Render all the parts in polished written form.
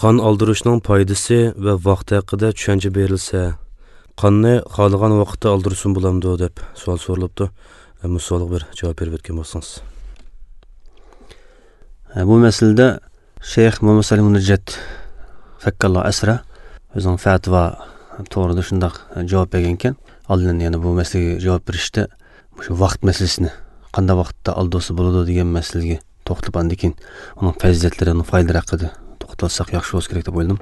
Qon oldirishning foydasi va vaqti haqida tushuncha berilsa, qonni xohlagan vaqtda oldirsin bo'lamdi deb savol so'ralibdi. Bu savolga bir javob berib o'tgan bo'lsangiz. Bu masalada Sheyx Muhammad Salim Munajjat fakkalloh asra o'zining fatvo to'g'rida shundoq javob bergan ekan. Oldin yana bu masalaga javob berishda shu vaqt masalasini qanday vaqtda oldirsa bo'ladi degan masalaga to'xtalib, andan keyin uning fazilatlari, uning foydalari haqida to'xtalsak yaxshi bo'lsa kerak deb o'yladim.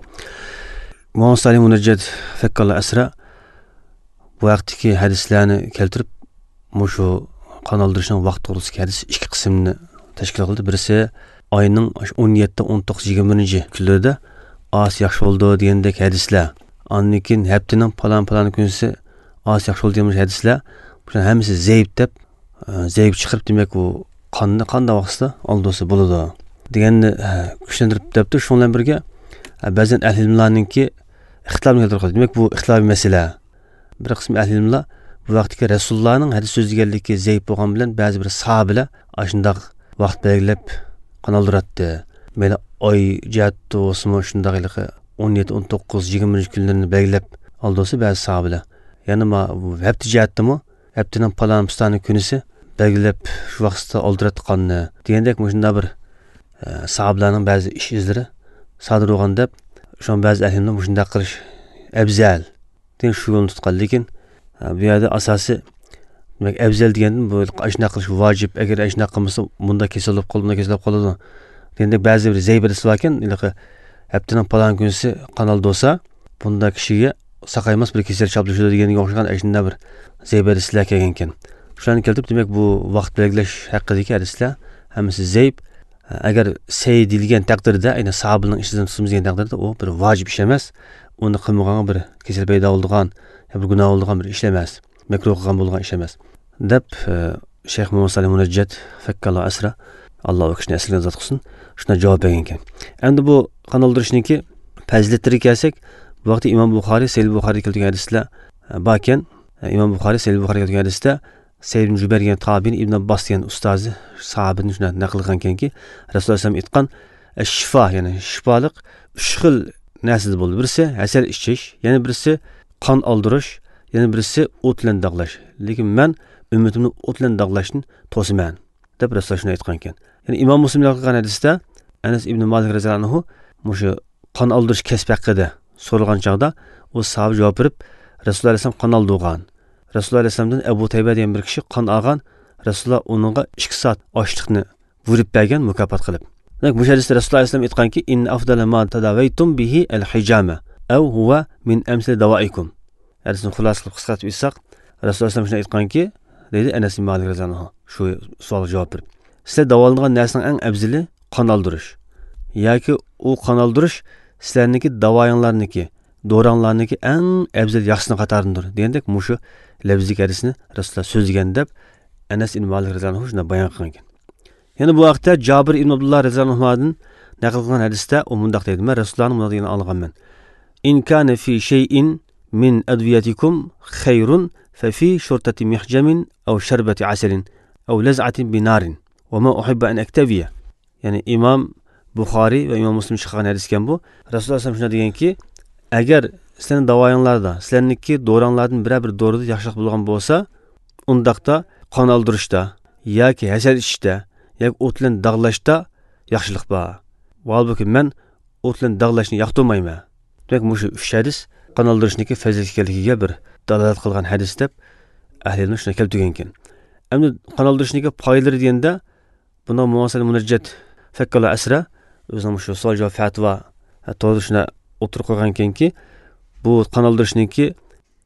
Muhammad Salim Munajjat fakkalloh asra bu vaqtdagi hadislarni keltirib, shu qon oldirishning vaqt to'g'risidagi hadis ikki qismni tashkil qildi. Birisi oyning 17, 19, 21 kunlarida oz yaxshi bo'ldi degandek hadislar. Andan keyin haftaning falon-falon kunisi oz yaxshi bo'ldi degan hadislar. Bularning hammasi zaif deb, zaif chiqarib, demak u qonni qanday vaqtda oldirsa bo'ladi deganni kuchlantirib debdi. Shu bilan birga ba'zan ahli ilmlarninki ixtilofni keltirib qo'ydi. Demak bu ixtilofiy masala. Bir qism ahli ilmlar bu vaqtdagi Rasulullohning hadis so'zlaganligi zaif bo'lgan bilan ba'zi bir sahobalar shundoq vaqt belgilab qon oldiradi. Mayli oy jihatda bo'lsinmi, shundoq 17, 19, 21 kunlarini belgilab oldirsa ba'zi sahobalar. Ya'ni hafta jihatdami, haftaning falon pistoni kunisi belgilab shu vaqtda oldiradi qonni degandek shunday bir sahobalarning ba'zi ish izlari sodir bo'lgan deb, shun ba'zi ahli ilmlar shunday qilish afzal degan shu yo'lni tutgan. Lekin bu yerda asosiy demak afzal degandan bu shunday qilish vojib, agar shunday qilmasa bunda kasal bo'lib qoladi, bunda kasal bo'lib qoladi degandek ba'zi bir zaif hadislar bor ekan. Haftaning falon kunisi qon oldirsa, bunda kishiga saqaymas bir kasal chaplashadi deganga o'xshagan shunday bir zaif hadislar kelgan ekan. Shularni keltirib, demak bu vaqt belgilash haqidagi hadislar hammasi zaif. Agar sey deyilgan taqdirda, aynan sahobaning ishidan tutamiz degan taqdirda u bir vojib ish emas, uni qilmaganga bir kasal paydo bo'ladigan, bir gunoh bo'ladigan bir ish emas, makruh qilgan bo'lgan ish emas deb Sheyx Muhammad Salim Munajjat fakkalloh asra, Alloh u kishini asliga zot qilsin, shunday javob bergan ekan. Endi bu qon oldirishniki fazilatlariga kelsak, bu vaqtda Imom Buxoriy, Sahih Buxoriy keltirgan hadislar bor ekan. Imom Buxoriy, Sahih Buxoriy keltirgan hadisda Said ibn Jubayr degan tobiin Ibn Abbos degan ustozi sahobadan shunday naql qilgan ekanki, Rasululloh sollallohu alayhi vasallam aytgan shifo, ya'ni shifoliq uch xil narsada bo'ldi. Birisi asal ichish, yana birisi qon oldirish, yana birisi o't bilan dog'lash. Lekin men ummatimni o't bilan dog'lashni to'saman deb Rasululloh shuni aytgan ekan. Ya'ni Imom Muslim naql qilgan hadisda Anas ibn Malik roziyallohu anhu mushu qon oldirish kasbi haqida so'ralgan chog'da u sahoba javob berib, Rasululloh alayhisalom qon oldirgan. Rasululloh alayhisalomdan Abu Tayba degan bir kishi qon olgan, Rasululloh uningga 2 soat ochliqni buyurib bergan mukofot qilib. Demak, bu hadisda Rasululloh alayhisalom aytganki, in afdala ma tadawaytum bihi al-hijama aw huwa min amsal dawaikum. Hadisni xulosa qilib qisqartirib aytsak, Rasululloh alayhisalom shuni aytganki, deydi Anas ibn Malik roziyallohu anhu shu savolga javob berib, sizlar davolangan narsaning eng afzali qon oldirish yoki u qon oldirish sizlarniki davoyinglarniki, do'ranglarniki eng afzal yaxshisini qatoridir degandek mushu labzlik hadisni Rasululloh so'zlagan deb Anas ibn Malik roziyallohu anhu shunday bayon qilgan ekan. Yana bu vaqtda Jabir ibn Abdulloh roziyallohu anhudan naql qilgan hadisda u mundoq deydi: men Rasulullohning bunday deganini olganman. In kana fi shay'in min adwiyatikum khayrun fa fi shurtati mihjamin aw sharbati asalin aw laz'atin binarin va ma uhibbu an aktabiya. Ya'ni Imom Buxoriy va Imom Muslim chiqqan hadis ekan bu. Rasululloh sollallohu alayhi vasallam shunday deganki, agar sizlarning davoyinglarda, sizlarniki do'ranglardan biror bir do'rida yaxshilik bo'lgan bo'lsa, undaqda qon oldirishda yoki hasal ichishda yoki o't bilan dog'lashda yaxshilik bor. Holbuki men o't bilan dog'lashni yoqtirmayman. Demak, mushu uch hadis qon oldirishniki fazilat ekanligiga bir dalolat qilgan hadis deb ahli ilm shuni keltirgan ekan. Endi qon oldirishniki foydalari deganda, bunda Muhammad Munajjat fakkalloh asra o'zining shu savol javob fatvo to'g'ri shuni o'tirib qo'ygan ekanki, bu qon oldirishniki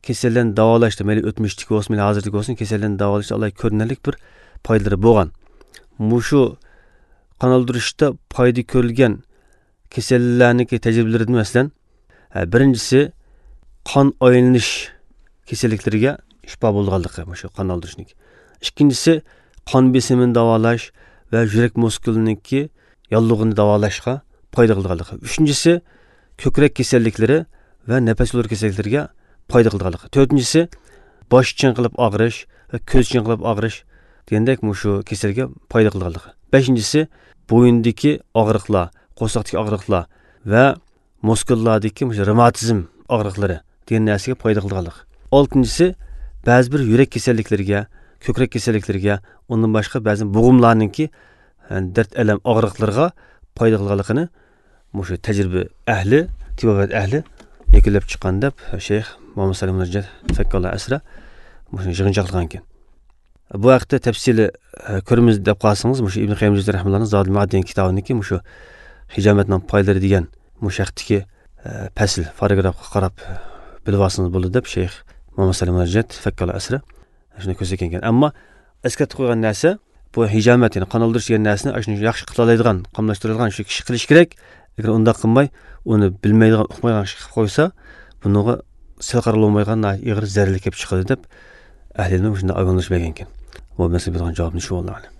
kasallarni davolashda, mayli o'tmishdiki bo'lsin, mayli hozirdagi bo'lsin, kasallarni davolashda alloh ko'rinarli bir foydalari bo'lgan. Mushu qon oldirishda foyda ko'rilgan kasallarniki tajribalaridan masalan, birinchisi qon aylanish kasalliklariga shifo bo'lganligi, shu qon oldirishniki. Ikkinchisi qon besimini davolash va yurak muskuliniki yollig'ini davolashga foyda qilganligi. Uchinchisi ko'krak kasalliklari va nafas yo'llari kasalliklariga foyda qilganligi. To'rtinchisi bosh chinqilib og'rish va ko'z chinqilib og'rish degandek shu kasalga foyda qilganligi. Beshinchisi bo'yindagi og'riqlar, qo'rsoqdagi og'riqlar va Muskullardagi revmatizm og'riqlari degan narsaga foyda qilganlik. Oltinchisi ba'zi bir yurak kasalliklariga, ko'krak kasalliklariga, undan boshqa ba'zi bo'g'imlarninki dard alam og'riqlarga foyda qilganligini mushu tajriba ahli, tibobat ahli yakunlab chiqqan deb Sheyx Muhammad Salim Munajjat fakkalloh asra mushuni yig'inchoqlagan ekan. Bu haqda tafsili ko'ramiz deb qolsangiz, mushu Ibn Qayyim Jawziy rahimahullohning Zodul Ma'ad degan kitobidagi mushu hijomatning foydalari degan mushu haqdagi fasl paragrafga qarab bilib olsangiz bo'ladi deb Sheyx Muhammad Salim Munajjat fakkalloh asra shuni ko'rsatgan ekan. Ammo eslatib qo'ygan narsa bu hijomat, ya'ni qon oldirish degan narsani shuni yaxshi qila oladigan, qamlashtiradigan shu kishi qilish kerak. Agar undaq qilmay, uni bilmaydigan, uqmaydigan kishi qilib qo'ysa, buniga sel qaralolmaydigan ig'ir zararli kelib chiqadi deb ahli ilm shunday ogohlantirish bergan ekan. Bu masala bergan javobni shu bo'ldi.